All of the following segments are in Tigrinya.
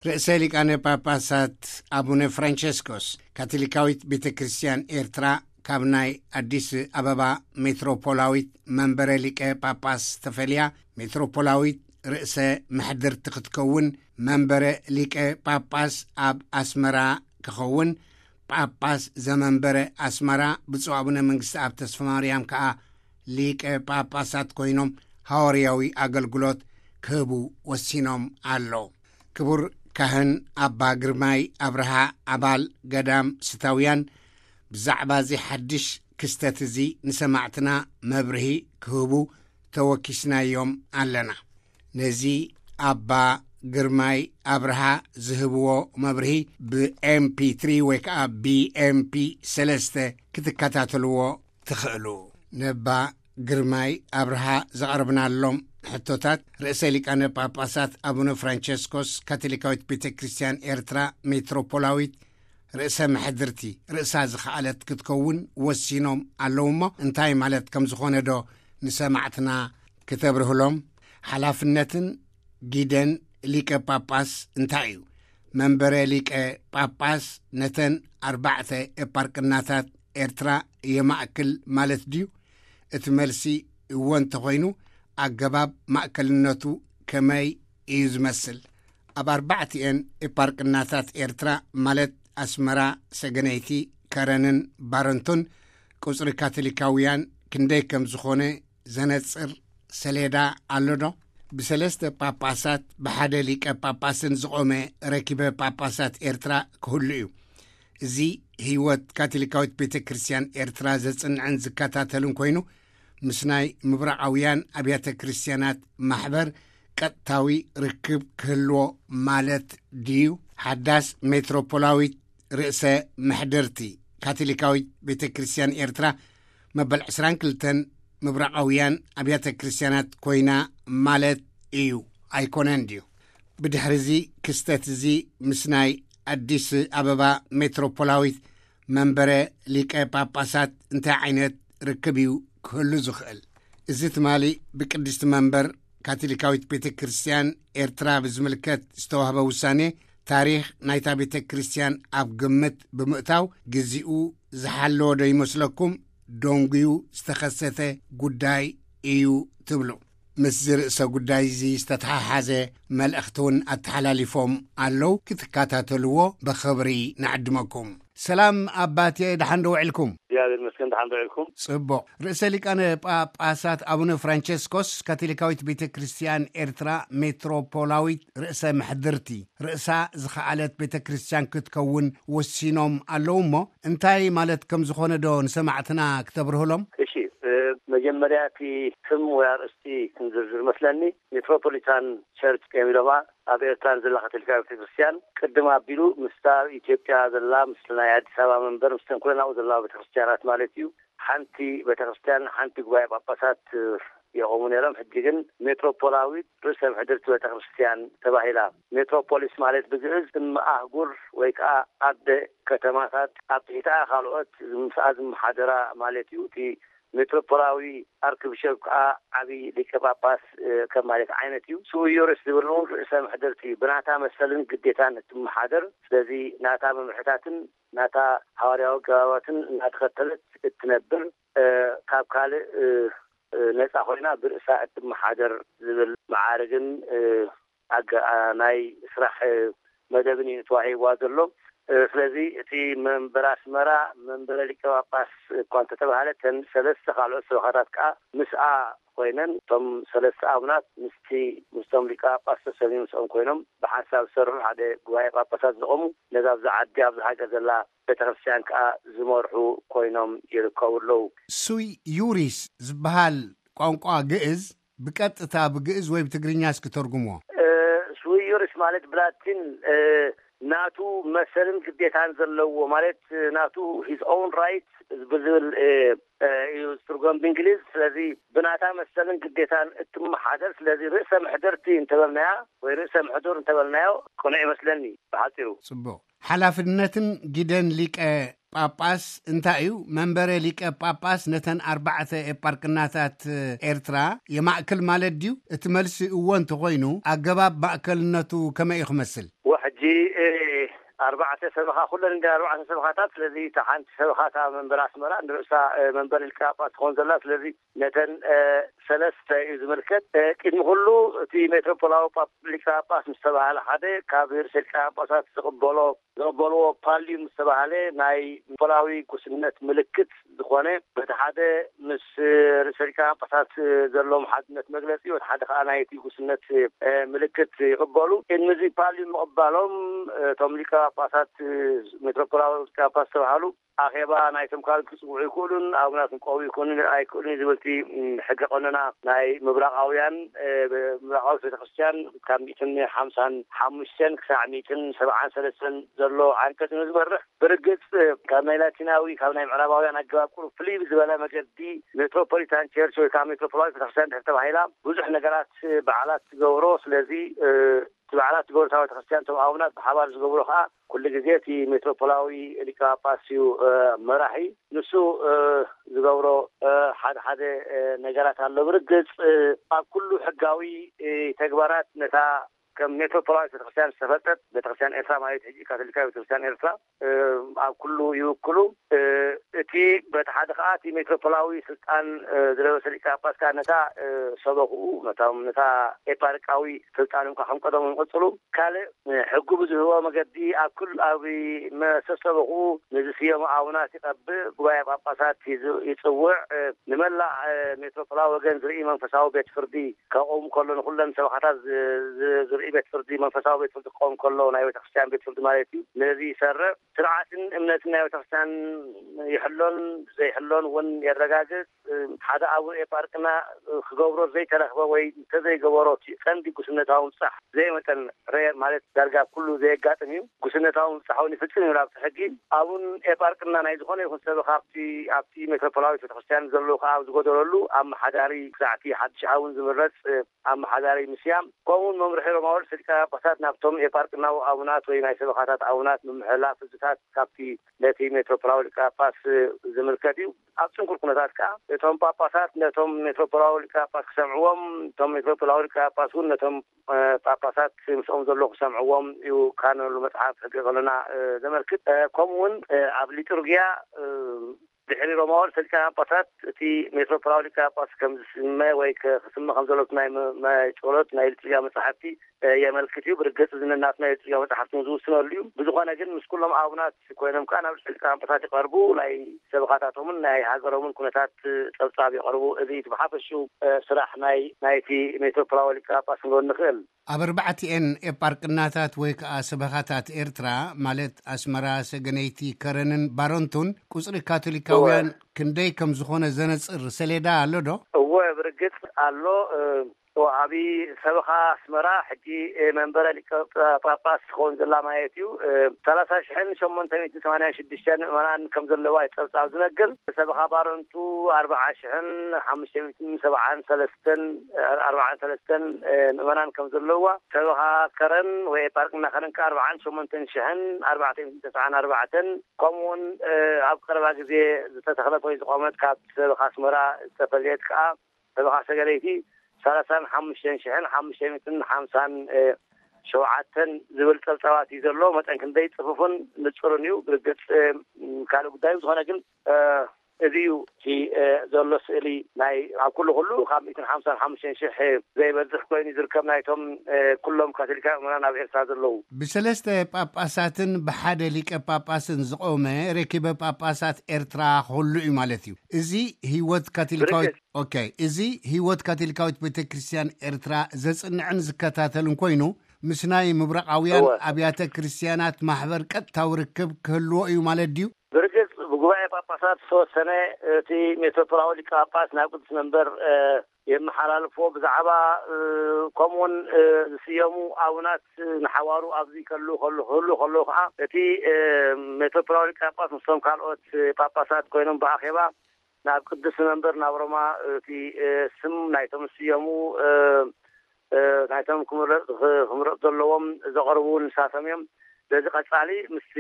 ርእሰ ሊቃነ ጳጳሳት ኣቡነ ፍራንቸስኮስ፣ ካቶሊካዊት ቤተ ክርስቲያን ኤርትራ ካብ ናይ ኣዲስ ኣበባ ሜትሮፖላዊት መንበረ ሊቀ ጳጳስ ተፈልያ፣ ሜትሮፖላዊት ርእሰ መሕድርቲ ክትከውን፣ መንበረ ሊቀ ጳጳስ ኣብ ኣስመራ ክኸውን፣ ጳጳስ ዘመንበረ ኣስመራ ብፁዕ ኣቡነ መንግስቲ ኣብ ተስፋ ማርያም ከኣ ሊቀ ጳጳሳት ኮይኖም ሃዋርያዊ ኣገልግሎት ክህቡ ወሲኖም ኣሎ። ክቡር ካህን ኣባ ግርማይ ኣብርሃ፣ ኣባል ገዳም ስታውያን፣ ብዛዕባ እዚ ሓድሽ ክስተት እዚ ንሰማዕትና መብርሂ ክህቡ ተወኪስናዮም ኣለና። ነዚ ኣባ ግርማይ ኣብርሃ ዝህብዎ መብርሂ ብ MP3 ወይ ከዓ ብ MP ሰለስተ ክትከታተልዎ ትኽእሉ። ነባ ግርማይ ኣብርሃ ዘቕረብናሎም ሕቶታት፣ ርእሰ ሊቃነ ጳጳሳት ኣቡነ ፍራንቸስኮስ፣ ካቶሊካዊት ቤተ ክርስቲያን ኤርትራ ሜትሮፖላዊት ርእሰ መሕድርቲ፣ ርእሳ ዝኸኣለት ክትከውን ወሲኖም ኣለዉ እሞ፣ እንታይ ማለት ከም ዝኾነ ዶ ንሰማዕትና ክተብርህሎም? ሓላፍነትን ጊደን ሊቀ ጳጳስ እንታይ እዩ? መንበረ ሊቀ ጳጳስ ነተን ኣርባዕተ ኤጳርቅናታት ኤርትራ የማእክል ማለት ድዩ? እቲ መልሲ እወ እንተኾይኑ፣ ኣገባብ ማእከልነቱ ከመይ እዩ ዝመስል? ኣብ ኣርባዕቲኤን ኤጳርቅናታት ኤርትራ፣ ማለት ኣስመራ፣ ሰገነይቲ፣ ከረንን ባረንቱን፣ ቁጽሪ ካቶሊካውያን ክንደይ ከም ዝኾነ ዘነጽር ሰሌዳ ኣሎ ዶ? ብሰለስተ ጳጳሳት ብሓደ ሊቀ ጳጳስን ዝቖመ ረኪበ ጳጳሳት ኤርትራ ክህሉ እዩ። እዚ ህይወት ካቶሊካዊት ቤተ ክርስቲያን ኤርትራ ዘጽንዕን ዝከታተልን ኮይኑ፣ ምስ ናይ ምብራቓውያን ኣብያተ ክርስቲያናት ማሕበር ቀጥታዊ ርክብ ክህልዎ ማለት ድዩ? ሓዳስ ሜትሮፖላዊት ርእሰ መሕደርቲ ካቶሊካዊት ቤተ ክርስቲያን ኤርትራ መበል ዕስራን ክልተን ምብራቓውያን ኣብያተ ክርስቲያናት ኮይና ማለት እዩ ኣይኮነን ድዩ? ብድሕሪ እዚ ክስተት እዚ ምስ ናይ ኣዲስ ኣበባ ሜትሮፖላዊት መንበረ ሊቀ ጳጳሳት እንታይ ዓይነት ርክብ እዩ ክህሉ ዝኽእል? እዚ ትማሊ ብቅድስቲ መንበር ካቶሊካዊት ቤተ ክርስቲያን ኤርትራ ብዝምልከት ዝተዋህበ ውሳኔ፣ ታሪኽ ናይታ ቤተ ክርስቲያን ኣብ ግምት ብምእታው፣ ግዚኡ ዝሓለወ ዶ ይመስለኩም? ደንጉዩ ዝተኸሰተ ጉዳይ እዩ ትብሉ? ምስዚ ርእሰ ጉዳይ እዚ ዝተተሓሓዘ መልእኽቲ እውን ኣተሓላሊፎም ኣለዉ። ክትከታተልዎ ብኽብሪ ንዕድመኩም። ሰላም ኣባቴ፣ ደሓን ዶ ውዒልኩም? እግዚኣብሔር ይመስገን፣ ደሓን ዶ ውዒልኩም? ጽቡቕ። ርእሰ ሊቃነ ጳጳሳት ኣቡነ ፍራንቸስኮስ፣ ካቶሊካዊት ቤተ ክርስቲያን ኤርትራ ሜትሮፖላዊት ርእሰ ምሕድርቲ፣ ርእሳ ዝኸኣለት ቤተ ክርስቲያን ክትከውን ወሲኖም ኣለዉ እሞ፣ እንታይ ማለት ከም ዝኾነ ዶ ንሰማዕትና ክተብርህሎም? እሺ፣ እ፣ መጀመርያ እቲ ስም ወይ ኣርእስቲ ክንዝርዝር መስለኒ። ሜትሮፖሊታን ቸርች እዮም ኢሎማ። ኣብ ኤርትራ ንዘላ ካቶሊካዊ ቤተክርስትያን ቅድም ኣቢሉ ምስታ ኣብ ኢትዮጵያ ዘላ፣ ምስ ናይ ኣዲስ ኣበባ መንበር፣ ምስተን ኩለን ኣብኡ ዘለዋ ቤተክርስትያናት ማለት እዩ፣ ሓንቲ ቤተክርስትያን፣ ሓንቲ ጉባኤ ጳጳሳት፣ እ፣ የቆሙ ነይሮም። ሕጂ ግን ሜትሮፖላዊት ርእሰ ምሕድርቲ ቤተክርስትያን ተባሂላ። ሜትሮፖሊስ ማለት ብግእዝ እም ኣህጉር ወይ ከዓ ኣደ ከተማታት፣ ኣብ ትሕቲኣ ካልኦት ምስኣ ዝመሓደራ ማለት እዩ። እቲ ሜትሮፖላዊ ኣርክብሸፕ ከዓ ዓቢ ሊቀ ጳጳስ፣ እ፣ ከም ማለት ዓይነት እዩ። ሱዮርስ ዝብል እውን ርእሰ ምሕድርቲ ብናታ መሰልን ግዴታን እትመሓደር፣ ስለዚ ናታ መምርሕታትን ናታ ሃዋርያዊ ኣገባባትን እናተኸተለት እትነብር፣ እ፣ ካብ ካልእ፣ እ፣ እ፣ ነጻ ኮይና ብርእሳ እትመሓደር ዝብል መዓርግን፣ እ፣ ኣገ-፣ ኣ-፣ ናይ ስራሕ፣ እ፣ መደብን እዩ ተዋሂብዋ ዘሎ። እ፣ ስለዚ እቲ መንበር ኣስመራ መንበረ ሊቀ ጳጳስ እኳ እንተተባህለ፣ እተን ሰለስተ ካልኦት ሰበኻታት ከኣ ምስኣ ኮይነን፣ እቶም ሰለስተ ኣቡናት ምስቲ፣ ምስቶም ሊቀ ጳጳስ ተሰልዩ ምስኦም ኮይኖም ብሓንሳብ ዝሰርሑ፣ ሓደ ጉባኤ ጳጳሳት ዘቖሙ፣ ነዛ ኣብዛ ዓዲ፣ ኣብዛ ሃገር ዘላ ቤተክርስትያን ከኣ ዝመርሑ ኮይኖም ይርከቡ ኣለዉ። ሱይ ዩሪስ ዝበሃል ቋንቋ ግእዝ ብቀጥታ ብግእዝ ወይ ብትግርኛ እስኪ ተርጉምዎ። እ፣ ሱይ ዩሪስ ማለት ብላቲን፣ እ፣ ናቱ መሰልን ግዴታን ዘለዎ ማለት፣ እ፣ ናቱ his own right ብዝብል፣ እ፣ እ፣ እዩ ዝትርጎም ብእንግሊዝ። ስለዚ ብናታ መሰልን ግዴታን እትመሓደር፣ ስለዚ ርእሰ ምሕደርቲ እንተበልናያ ወይ ርእሰ ምሕዱር እንተበልናዮ ቅኑዕ ይመስለኒ ብሓጺሩ። ጽቡቕ። ሓላፍነትን ግደን ሊቀ ጳጳስ እንታይ እዩ? መንበረ ሊቀ ጳጳስ ነተን ኣርባዕተ ኤጳርቅናታት ኤርትራ የማእክል ማለት ድዩ? እቲ መልሲ እወ እንተኾይኑ፣ ኣገባብ ማእከልነቱ ከመይ እዩ ክመስል? ወ-፣ ሕጂ ሕጂ ኣርባዕተ ሰበኻ፣ ኩለን እንደ ኣርባዕተ ሰበኻታት። ስለዚ እታ ሓንቲ ሰበኻ እታ መንበር ኣስመራ ንርእሳ መንበር ሊቀ ጳጳስ ትኸውን ዘላ። ስለዚ ነተን ሰለስተ እዩ ዝምልከት። ቅድሚ ኩሉ እቲ ሜትሮፖላዊ ሊቀ ጳጳስ ምስ ተባሃለ ሓደ ካብ ርእሰ ሊቀ ጳጳሳት ዝቕበሎ ዘበልዎ ፓልዩ ምስ ተባህለ ናይ ፖላዊ ጉስነት ምልክት ዝኾነ፣ በቲ ሓደ ምስ ርእሰ ሊቃነ ጳጳሳት ዘለዎም ሓድነት መግለጺ፣ በቲ ሓደ ከዓ ናይቲ ጉስነት ምልክት ይቕበሉ። ቅድሚ እዚ ፓልዩ ምቕባሎም እቶም ሊቀ ጳጳሳት፣ ሜትሮፖላዊ ሊቀ ጳጳስ ዝተባሃሉ፣ ኣኼባ ናይቶም ካልኦት ክጽውዑ ይክእሉን ኣቡናት ክቀቡ ይኮኑን ኣይክእሉን ዝብል እቲ ሕገ ቀኖና ናይ ምብራቓውያን፣ ምብራቓዊት ቤተክርስትያን ካብ ሚእትን ሓምሳን ሓሙሽተን ክሳዕ ሚእትን ሰብዓን ሰለስተን ዘሎ ዓንቀጽ እዩ ዝመርሕ። ብርግጽ ካብ ናይ ላቲናዊ፣ ካብ ናይ ምዕራባውያን ኣገባብ ቁሩብ ፍልይ ብዝበለ መገዲ ሜትሮፖሊታን ቸርች ወይ ከዓ ሜትሮፖላዊት ቤተክርስትያን ድሕር ተባሂላ ብዙሕ ነገራት በዓላት ትገብሮ። ስለዚ እቲ በዓላት ዝገብሩ ቤተክርስትያን እቶም ኣቡናት ብሓባር ዝገብሮ ከዓ ኩሉ ግዜ እቲ ሜትሮፖላዊ ሊቀ ጳጳስ እዩ መራሒ። ንሱ ዝገብሮ ሓደ ሓደ ነገራት ኣሎ። ብርግጽ ኣብ ኩሉ ሕጋዊ ተግባራት ነታ ከም ሜትሮፖላዊት ቤተክርስትያን ዝተፈልጠት ቤተክርስትያን ኤርትራ፣ ማለት ሕጂ ካቶሊካዊ ቤተክርስትያን ኤርትራ፣ ኣብ ኩሉ ይውክሉ። እቲ በቲ ሓደ ከዓ እቲ ሜትሮፖላዊ ስልጣን ዝለበሰ ሊቀ ጳጳስ ከዓ ነታ ሰበኽኡ፣ ነቶም፣ ነታ ኤፓርቃዊ ስልጣኖም ከዓ ከም ቀደሞም ይቕጽሉ። ካልእ ሕጉ ብዝህቦ መገዲ ኣብ ኩል፣ ኣብ መሰሰበኹ ንዝስየሙ ኣቡናት ይቐብእ፣ ጉባኤ ጳጳሳት ይዝ-፣ ይጽውዕ፣ ንመላእ ሜትሮፖላዊ ወገን ዝርኢ መንፈሳዊ ቤት ፍርዲ ከቆም ከሎ፣ ንኹለን ሰበኻታት ዝ-፣ ዝ-፣ ዝርኢ ቤት ፍርዲ፣ መንፈሳዊ ቤት ፍርዲ ክቆም ከሎ፣ ናይ ቤተክርስትያን ቤት ፍርዲ ማለት እዩ፣ ነዚ ይሰርዕ። ስርዓትን እምነትን ናይ ቤተክርስትያን ይሕሎን ዘይሕሎን እውን የረጋግጽ። ሓደ ኣቡነ ኤጳርቅና ክገብሮ ዘይተረኽበ ወይ እንተዘይገበሮ እቲ ቀንዲ ጉስነታዊ ምብጻሕ ዘይመጠን ሬር ማለት ዳርጋ ኩሉ ዘየጋጥም እዩ። ጉስነታዊ ምብጻሕ እውን ይፍጽም እዩ ኣብቲ ሕጊ። ኣቡን ኤጳርቅና ናይ ዝኾነ ይኹን ሰብ ካብቲ፣ ኣብቲ ሜትሮፖላዊት ቤተክርስትያን ዘለዉ ከዓ ኣብ ዝጎደለሉ ኣመሓዳሪ ክሳዕቲ ሓድሽ ኣቡን ዝምረጽ ኣመሓዳሪ ምስያም፣ ከምኡውን መምርሒ ሮማዊ ርእሰ ሊቃነ ጳጳሳት ናብቶም ኤጳርቅናዊ ኣቡናት ወይ ናይ ሰበኻታት ኣቡናት ምምሕላፍ ህዝብታት ካብቲ ነቲ ሜትሮፖላዊ ሊቀ ጳጳስ ዝምልከት እዩ። ኣብ ጽንኩር ኩነታት ከኣ እቶም ጳጳሳት ነቶም ሜትሮፖላዊ ሊቀ ጳጳስ ክሰምዕዎም፣ እቶም ሜትሮፖላዊ ሊቀ ጳጳስ እውን ነቶም ጳጳሳት ምስኦም ዘሎ ክሰምዕዎም እዩ ካኖናዊ መጽሓፍ ሕገ ቀኖና ዘመልክት። ከምኡ እውን ኣብ ሊጡርጊያ ድሕሪ ሮማዊ ርእሰ ሊቃነ ጳጳሳት እቲ ሜትሮፖላዊ ሊቀ ጳጳስ ከም ዝስመ ወይ ከ-፣ ክስመ ከም ዘሎ ናይ መ-፣ ናይ ጸሎት ናይ ሊጡርጊያ መጻሕፍቲ የመልክት እዩ። ብርግጽ እዚ ነናትና ናይ ሊጡርጊያ መጻሕፍቲ ዝውስነሉ እዩ። ብዝኾነ ግን ምስ ኩሎም ኣቡናት ኮይኖም ከኣ ናብ ርእሰ ሊቃነ ጳጳሳት ይቐርቡ፣ ናይ ሰበኻታቶምን ናይ ሃገሮምን ኩነታት ጸብጻብ የቕርቡ። እዚ እቲ ብሓፈሽኡ ስራሕ ናይ፣ ናይቲ ሜትሮፖላዊ ሊቀ ጳጳስ ክንብል ንኽእል። ኣብ ኣርባዕቲኤን ኤጳርቅናታት ወይ ከኣ ሰበኻታት ኤርትራ፣ ማለት ኣስመራ፣ ሰገነይቲ፣ ከረንን ባረንቱን፣ ቁጽሪ ካቶሊካውያን እወ። ክንደይ ከም ዝኾነ ዘነጽር ሰሌዳ ኣሎ ዶ? እወ፣ ብርግጽ ኣሎ። እ፣ እወ፣ ኣብ ሰበኻ ኣስመራ ሕጂ፣ እ፣ መንበረ ሊቀ ጳ-፣ ጳጳስ ትኸውን ዘላ ማለት እዩ። እ፣ ሰላሳ ሽሕን ሸሞንተ ሚእትን ሰማንያን ሽዱሽተን ምእመናን ከም ዘለዋ እዩ ጸብጻብ ዝነግር። ሰበኻ ባረንቱ ኣርብዓ ሽሕን ሓሙሽተ ሚእትን ሰብዓን ሰለስተን፣ ኣርብዓን ሰለስተን፣ እ፣ ምእመናን ከም ዘለዋ፣ ሰበኻ ከረን ወይ ኤጳርቅና ከረን ከኣ ኣርብዓን ሸሞንተን ሽሕን ኣርባዕተ ሚእትን ተስዓን ኣርባዕተን፣ ከምኡውን፣ እ፣ ኣብ ቀረባ ግዜ ዝተተኽለት ወይ ዝቖመት ካብ ሰበኻ ኣስመራ ዝተፈልየት ከኣ ሰበኻ ሰገለይቲ ሰላሳን ሓሙሽተን ሽሕን ሓሙሽተ ሚእትን ሓምሳን ሸውዓተን ዝብል ጸብጻባት እዩ ዘሎ። መጠን ክንደይ ጽፉፍን ንጹርን እዩ። ብርግጽ፣ እ፣ ካልእ ጉዳይ እዩ። ዝኾነ ግን፣ እ፣ እዚ እዩ እቲ፣ እ፣ ዘሎ ስእሊ ናይ ኣብ ኩሉ ኩሉ ካብ ሚእትን ሓምሳን ሓሙሽተን ሽሕ ዘይበዝሕ ኮይኑ ዝርከብ ናይቶም፣ እ፣ ኩሎም ካቶሊካውያን ምእመናን ኣብ ኤርትራ ዘለዉ። ብሰለስተ ጳጳሳትን ብሓደ ሊቀ ጳጳስን ዝቖመ ርክበ ጳጳሳት ኤርትራ ክህሉ እዩ ማለት እዩ። እዚ ህይወት ካቶሊካዊት፣ ብርግጽ። ኦኬ፣ እዚ ህይወት ካቶሊካዊት ቤተ ክርስቲያን ኤርትራ ዘጽንዕን ዝከታተልን ኮይኑ፣ ምስ ናይ ምብራቓውያን እወ። ኣብያተ ክርስቲያናት ማሕበር ቀጥታዊ ርክብ ክህልዎ እዩ ማለት ድዩ? ብርግጽ ብጉባኤ ጳጳሳት ዝተወሰነ፣ እቲ ሜትሮፖላዊ ሊቀ ጳጳስ ናብ ቅዱስ መንበር፣ እ፣ የመሓላልፎ። ብዛዕባ፣ እ፣ ከምኡውን፣ እ፣ ዝስየሙ ኣቡናት ንሓዋሩ ኣብዚ ከሉ፣ ከሉ፣ ክህሉ ከለዉ ከዓ እቲ፣ እ፣ ሜትሮፖላዊ ሊቀ ጳጳስ ምስቶም ካልኦት ጳጳሳት ኮይኖም ብኣኼባ ናብ ቅዱስ መንበር ናብ ሮማ እቲ፣ እ፣ ስም ናይቶም ዝስየሙ፣ እ፣ እ፣ ናይቶም ክምረ-፣ ክ-፣ ክምረጽ ዘለዎም ዘቕርቡ ንሳቶም እዮም። ስለዚ ቀጻሊ ምስቲ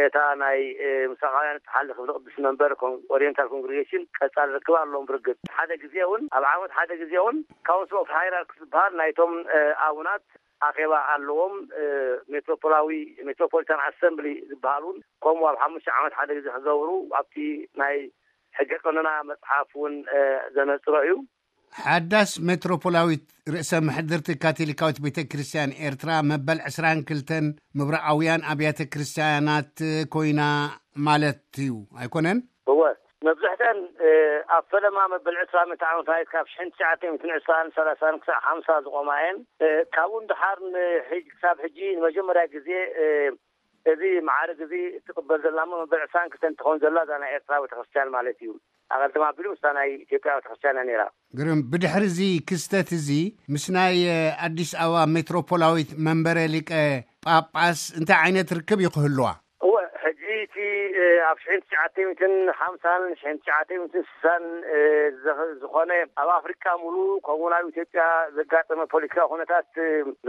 እታ ናይ፣ እ፣ ምስራቃውያን እትሓልፍ ቅዱስ መንበር ኮን-፣ ኦሪየንታል ኮንግሪጌሽን ቀጻሊ ርክብ ኣለዎም። ብርግጽ ሓደ ግዜ እውን፣ ኣብ ዓመት ሓደ ግዜ እውን ካውንስል ኦፍ ሃይራርክስ ዝበሃል ናይቶም፣ እ፣ ኣቡናት ኣኼባ ኣለዎም። ሜትሮፖላዊ ሜትሮፖሊታን ኣሰምብሊ ዝበሃል እውን ከምኡ ኣብ ሓሙሽተ ዓመት ሓደ ግዜ ክገብሩ ኣብቲ ናይ ሕገ ቀኖና መፅሓፍ እውን ዘነፅሮ እዩ። ሓዳስ ሜትሮፖላዊት ርእሰ ምሕድርቲ ካቶሊካዊት ቤተ ክርስቲያን ኤርትራ መበል ዕስራን ክልተን ምብራዓውያን ኣብያተ ክርስቲያናት ኮይና ማለት እዩ ኣይኮነን? እወ፣ መብዛሕተን ኣብ ፈለማ መበል ዕስራ ምእንቲ ዓመት ማለት ካብ ሽሕን ትሽዓተ ሚእትን ዕስራን ሰላሳን ክሳብ ሓምሳ ዝቆማ እየን። ካብኡ ንድሓር ንሕጂ ክሳብ ሕጂ ንመጀመርያ ግዜ እዚ መዓርግ እዚ እትቕበል ዘላ እሞ መበል ዕስራን ክልተን ትኸውን ዘላ እዛ ናይ ኤርትራ ቤተክርስትያን ማለት እዩ። ኣቐድም ኣቢሉ ምስታ ናይ ኢትዮጵያ ቤተክርስትያን እያ ነይራ። ግርም። ብድሕሪ እዚ ክስተት እዚ ምስ ናይ ኣዲስ ኣበባ ሜትሮፖላዊት መንበረ ሊቀ ጳጳስ እንታይ ዓይነት ርክብ እዩ ክህልዋ? እወ፣ ሕጂ እቲ ኣብ ሽሕን ትሽዓተ ሚእትን ሓምሳን ሽሕን ትሽዓተ ሚእትን ስሳን ዝኾነ ኣብ ኣፍሪካ ሙሉ ከምኡ ናብ ኢትዮጵያ ዘጋጠመ ፖለቲካዊ ኩነታት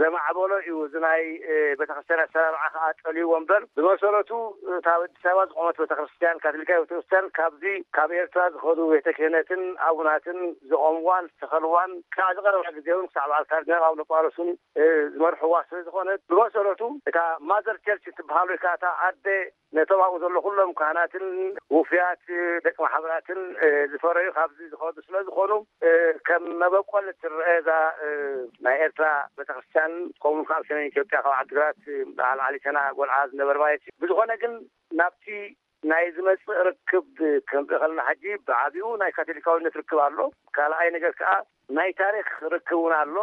ዘማዕበሎ እዩ። እዚ ናይ ቤተክርስትያን ኣሰራርዓ ከዓ ጠልይዎ እምበር ብመሰረቱ እታ ኣዲስ ኣበባ ዝቆመት ቤተክርስትያን ካቶሊካዊ ቤተክርስትያን ካብዚ ካብ ኤርትራ ዝኸዱ ቤተ ክህነትን ኣቡናትን ዝቆምዋን ዝተኸልዋን ክሳዕ ዝቀረባ ግዜ እውን ክሳዕ በዓል ካርዲናል ኣቡነ ጳውሎስ እውን ዝመርሕዋ ስለ ዝኾነት ብመሰረቱ እታ ማዘር ቸርች ትበሃል ወይ ከዓ እታ ኣደ ነቶም ኣብኡ ዘሎ ኩሎም ካህናትን ውፍያት ደቂ ማሕበራትን ዝፈረዩ ካብዚ ዝኸዱ ስለ ዝኾኑ ከም መበቆል ትረአ እዛ ናይ ኤርትራ ቤተክርስትያን። ከምኡ ካብ ሰሜን ኢትዮጵያ ካብ ዓድግራት በዓል ዓሊተና ጎልዓ ዝነበረ ማለት እዩ። ብዝኾነ ግን ናብቲ ናይ ዝመፅእ ርክብ ክንርኢ ከለና ሕጂ ብዓቢኡ ናይ ካቶሊካዊነት ርክብ ኣሎ። ካልኣይ ነገር ከዓ ናይ ታሪክ ርክብ እውን ኣሎ።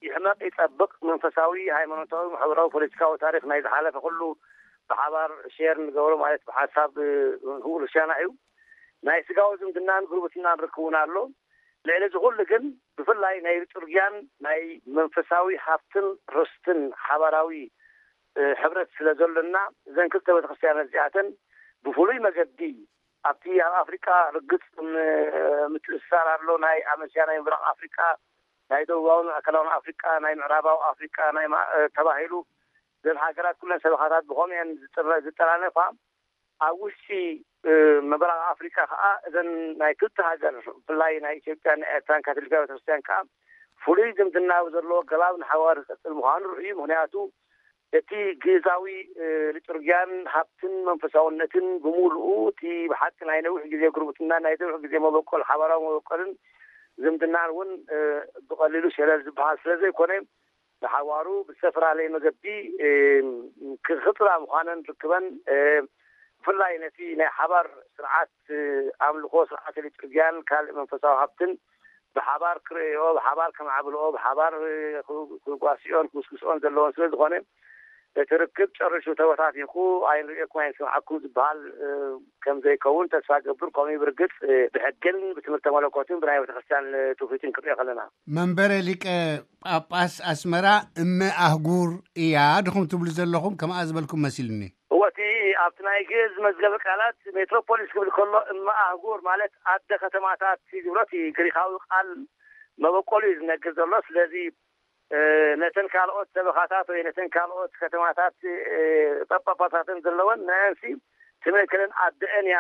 ይሕመቅ ይፀብቅ መንፈሳዊ፣ ሃይማኖታዊ፣ ማሕበራዊ፣ ፖለቲካዊ ታሪክ ናይ ዝሓለፈ ኩሉ ብሓባር ሼር ንገብሮ ማለት ብሓሳብ ህውል ሻና እዩ። ናይ ስጋዊ ዝምድናን ጉርብትናን ርክብ እውን ኣሎ። ልዕሊ እዚ ኩሉ ግን ብፍላይ ናይ ሊጡርጊያን ናይ መንፈሳዊ ሃብትን ርስትን ሓባራዊ ሕብረት ስለ ዘሎና እዘን ክልተ ቤተክርስትያናት እዚኣተን ብፍሉይ መገዲ ኣብቲ ኣብ ኣፍሪቃ ርግጽ ምትእስሳር ኣሎ። ናይ ኣመሲያ ናይ ምብራቕ ኣፍሪቃ፣ ናይ ደቡባዊ ማእከላዊ ኣፍሪቃ፣ ናይ ምዕራባዊ ኣፍሪቃ ናይ ተባሂሉ ዘን ሃገራት ኩለን ሰበኻታት ብኸምኡ እየን ዝጠራነፋ። ኣብ ውሽጢ ምብራቕ ኣፍሪቃ ከዓ እዘን ናይ ክልተ ሃገር ብፍላይ ናይ ኢትዮጵያን ኤርትራን ካቶሊካዊ ቤተክርስትያን ከዓ ፍሉይ ዝምድና ዘለዎ ገባብ ንሓዋር ዝቀፅል ምዃኑ ርኡዩ። ምክንያቱ እቲ ግእዛዊ ሊጡርጊያን ሃብትን መንፈሳውነትን ብምሉኡ እቲ ብሓቂ ናይ ነዊሕ ግዜ ጉርብትና ናይ ነዊሕ ግዜ መበቆል ሓባራዊ መበቆልን ዝምድናን እውን ብቐሊሉ ሸለል ዝበሃል ስለ ዘይኮነ ንሓዋሩ ብዝተፈላለየ መገዲ ክጥራ ምዃነን ርክበን ብፍላይ ነቲ ናይ ሓባር ስርዓት ኣምልኮ ስርዓተ ሊጡርጊያን ካልእ መንፈሳዊ ሃብትን ብሓባር ክርእዮ ብሓባር ከማዕብልኦ ብሓባር ክጓስዮን ክውስክስኦን ዘለዎን ስለ ዝኾነ እቲ ርክብ ጨርሹ ተበታቲኹ ኣይንርእየኩም ኣይንሰምዓኩም ዝበሃል ከም ዘይከውን ተስፋ ገብር። ከምኡ ብርግፅ ብሕግን ብትምህርተ መለኮትን ብናይ ቤተክርስትያን ትውፊትን ክርእዮ ከለና መንበረ ሊቀ ጳጳስ ኣስመራ እመ ኣህጉር እያ ድኹም ትብሉ ዘለኹም ከምኣ ዝበልኩም መሲሉኒ። እወ እቲ ኣብቲ ናይ ግእዝ መዝገበ ቃላት ሜትሮፖሊስ ክብል ከሎ እመ ኣህጉር ማለት ኣደ ከተማታት ዝብሎ እቲ ግሪካዊ ቃል መበቆሉ እዩ ዝነግር ዘሎ። ስለዚ ነተን ካልኦት ሰበኻታት ወይ ነተን ካልኦት ከተማታት ጳጳሳተን ዘለወን ንአንሲ ትምእክልን ኣደአን እያ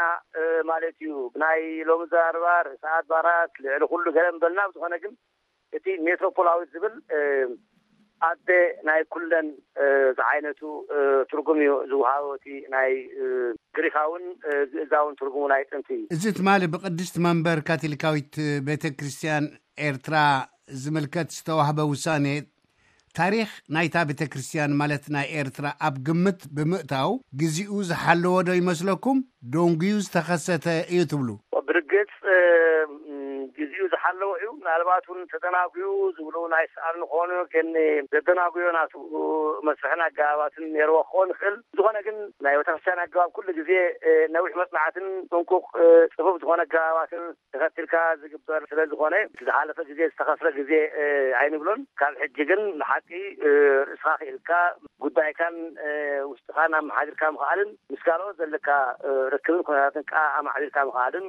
ማለት እዩ። ብናይ ሎሚ ዘራርባ ርእሰ ኣድባራት ልዕሊ ኩሉ ገለ ምበልና ብዝኾነ ግን እቲ ሜትሮፖላዊት ዝብል ኣደ ናይ ኩለን ዝዓይነቱ ትርጉም እዩ ዝወሃቦ። እቲ ናይ ግሪካውን ግእዛውን ትርጉሙ ናይ ጥንቲ እዩ። እዚ ትማሊ ብቅድስቲ መንበር ካቶሊካዊት ቤተ ክርስቲያን ኤርትራ ዝምልከት ዝተዋህበ ውሳኔ ታሪኽ ናይታ ቤተ ክርስቲያን ማለት ናይ ኤርትራ ኣብ ግምት ብምእታው ግዚኡ ዝሓለዎ ዶ ይመስለኩም? ደንጉዩ ዝተኸሰተ እዩ ትብሉ? ብርግጽ ግዚኡ ዝሓለዎ እዩ። ምናልባት እውን ተደናጉዩ ዝብሉ ናይ ሰኣል ንኾኑ ግን ዘደናጉዮ ናቱ መስርሕን ኣገባባትን ነይርዎ ክኸውን ይኽእል። ዝኾነ ግን ናይ ቤተክርስትያን ኣገባብ ኩሉ ግዜ ነዊሕ መጽናዕትን ጥንቁቕ ጽፉፍ ዝኾነ ኣገባባትን ተኸትልካ ዝግበር ስለ ዝኾነ ዝሓለፈ ግዜ ዝተኸስረ ግዜ ኣይንብሎን። ካብ ሕጂ ግን ንሓቂ ርእስኻ ክኢልካ ጉዳይካን ውሽጥኻን ኣመሓዲርካ ምኽኣልን ምስ ካልኦት ዘለካ ርክብን ኩነታትን ከዓ ኣማዕቢልካ ምኽኣልን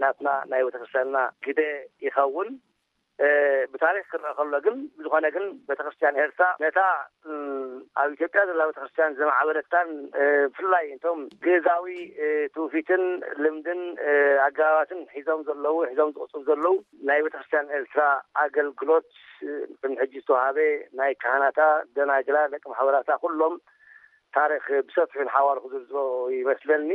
ናትና ናይ ቤተክርስትያንና ግደ ይኸውን። ብታሪክ ክረአ ከሎ ግን፣ ብዝኾነ ግን ቤተክርስትያን ኤርትራ ነታ ኣብ ኢትዮጵያ ዘላ ቤተክርስትያን ዘማዕበለታን ብፍላይ እቶም ግእዛዊ ትውፊትን ልምድን ኣገባባትን ሒዞም ዘለዉ ሒዞም ዝቕፅሉ ዘለዉ ናይ ቤተክርስትያን ኤርትራ ኣገልግሎት፣ ቅድሚ ሕጂ ዝተዋሃበ ናይ ካህናታ፣ ደናግላ፣ ደቂ ማሕበራታ ኩሎም ታሪክ ብሰፊሑ ንሓዋሩ ክዝርዝሮ ይመስለኒ።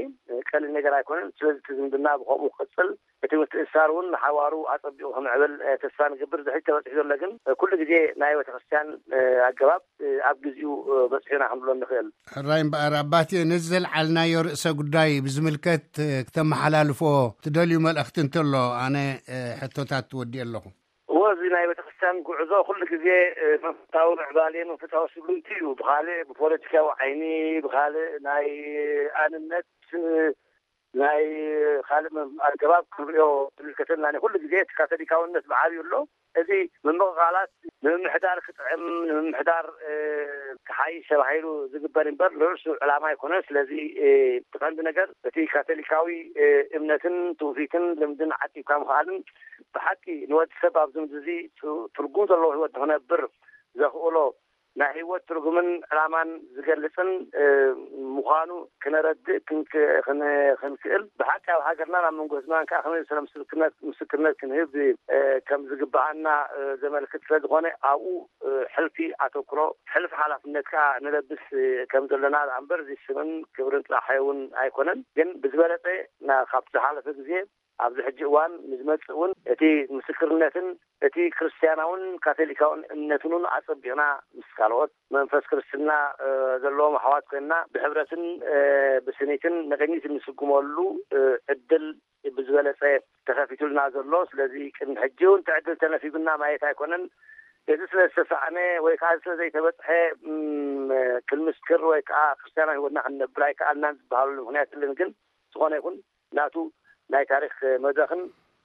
ቀሊል ነገር ኣይኮነን። ስለዚ እቲ ዝምድና ብከምኡ ክቅፅል፣ እቲ ምትእስሳር እውን ንሓዋሩ ኣጸቢቑ ክምዕብል ተስፋ ንገብር። ዝሕጂ ተበፂሑ ዘሎ ግን ኩሉ ግዜ ናይ ቤተክርስትያን ኣገባብ ኣብ ግዜኡ በፂሑና ክንብሎ ንኽእል። ሕራይ እምበኣር ኣባቴ፣ ነዚ ዘልዓልናዮ ርእሰ ጉዳይ ብዝምልከት ክተመሓላልፎ ትደልዩ መልእኽቲ እንተሎ፣ ኣነ ሕቶታት ትወዲእ ኣለኹ። እዎ፣ እዚ ናይ ቤተክርስትያን ጉዕዞ ኩሉ ግዜ መንፈሳዊ ምዕባሌ መንፈሳዊ ስጉምቲ እዩ። ብካልእ ብፖለቲካዊ ዓይኒ፣ ብካልእ ናይ ኣንነት ናይ ካልእ ኣገባብ ክንሪኦ ዝምልከተና ኩሉ ግዜ እቲ ካቶሊካውነት ብዓብዩ ኣሎ። እዚ ምምቕቓላት ንምምሕዳር ክጥዕም፣ ንምምሕዳር ክሓይሽ ተባሂሉ ዝግበር እምበር ንርእሱ ዕላማ ኣይኮነን። ስለዚ እቲ ቀንዲ ነገር እቲ ካቶሊካዊ እምነትን ትውፊትን ልምድን ዓቂብካ ምኽኣልን ብሓቂ ንወዲ ሰብ ኣብዚ ምድሪ እዚ ትርጉም ዘለዎ ህይወት ንክነብር ዘኽእሎ ናይ ህይወት ትርጉምን ዕላማን ዝገልጽን ምዃኑ ክነረድእ ክንክእል፣ ብሓቂ ኣብ ሃገርናን ኣብ መንጎ ህዝብናን ከዓ ከመይ ዝበለ ምስክርነት ክንህብ ከም ዝግብኣና ዘመልክት ስለ ዝኾነ፣ ኣብኡ ሕልፊ ኣተኩሮ፣ ሕልፊ ሓላፍነት ከዓ ንለብስ ከም ዘለና ደኣ እምበር፣ እዚ ስምን ክብርን ጥራሕ እውን ኣይኮነን። ግን ብዝበለጸ ካብቲ ዝሓለፈ ግዜ ኣብዚ ሕጂ እዋን ንዝመጽእ እውን እቲ ምስክርነትን እቲ ክርስትያናውን ካቶሊካውን እምነትን እውን ኣጸቢቕና ምስ ካልኦት መንፈስ ክርስትና ዘለዎም ኣሕዋት ኮይንና ብሕብረትን ብስኒትን ንቕኝት እንስጉመሉ ዕድል ብዝበለጸ ተኸፊቱልና ዘሎ። ስለዚ ቅድሚ ሕጂ እውን እቲ ዕድል ተነፊጉና ማለት ኣይኮነን። እዚ ስለ ዝተሳእነ ወይ ከዓ ስለ ዘይተበፅሐ ክንምስክር ወይ ከዓ ክርስትያናዊ ህይወትና ክንነብር ኣይከኣልናን ዝበሃለሉ ምክንያት የለን። ግን ዝኾነ ይኹን ናቱ ናይ ታሪክ መድረክን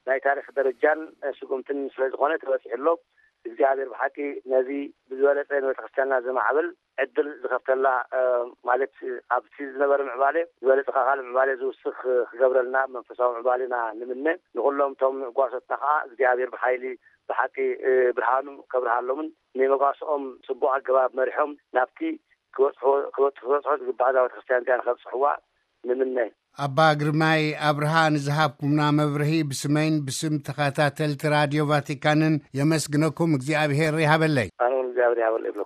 ናይ ታሪክ ደረጃን ስጉምትን ስለ ዝኾነ ተበፂሑ ኣሎ። እግዚኣብሔር ብሓቂ ነዚ ብዝበለፀ ንቤተክርስትያንና ዘማዕብል ዕድል ዝኸፍተላ፣ ማለት ኣብቲ ዝነበረ ምዕባሌ ዝበለፀ ካልእ ምዕባሌ ዝውስኽ ክገብረልና መንፈሳዊ ምዕባሌና ንምነ። ንኩሎም እቶም ጓሶትና ከዓ እግዚኣብሔር ብሓይሊ ብሓቂ ብርሃኑ ከብርሃሎምን ንመጓስኦም ፅቡቅ ኣገባብ መሪሖም ናብቲ ክበፅሑ ዝግባእ እዛ ቤተክርስትያን እዚኣ ንከብፅሕዋ ንምነ። ኣባ ግርማይ ኣብርሃ፣ ንዝሃብኩምና መብርሂ ብስመይን ብስም ተኸታተልቲ ራድዮ ቫቲካንን የመስግነኩም። እግዚኣብሄር ይሃበለይ። ኣነ እውን እግዚኣብሔር ይሃበለይ።